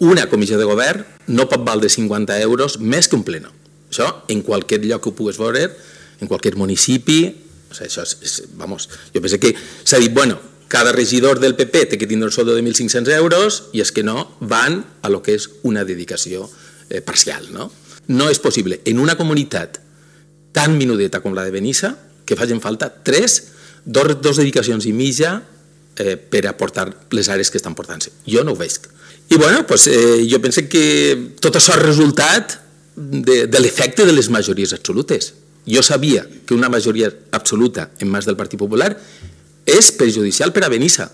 una comissió de govern no pot valdre 50 euros més que un pleno. Això, en qualsevol lloc que ho pugues veure, en qualsevol municipi, això és, vamos, jo penso que s'ha dit, bueno, cada regidor del PP té que tindre un soldo de 1.500 euros i és que no van a lo que és una dedicació parcial, no? No és possible en una comunitat tan minudeta com la de Benissa que facin falta dos dedicacions i mitja per aportar les àrees que estan portant-se. Jo no ho veig. I bueno, jo penso que tot això és resultat de l'efecte de les majories absolutes. Jo sabia que una majoria absoluta en mans del Partit Popular és perjudicial per a Benissa.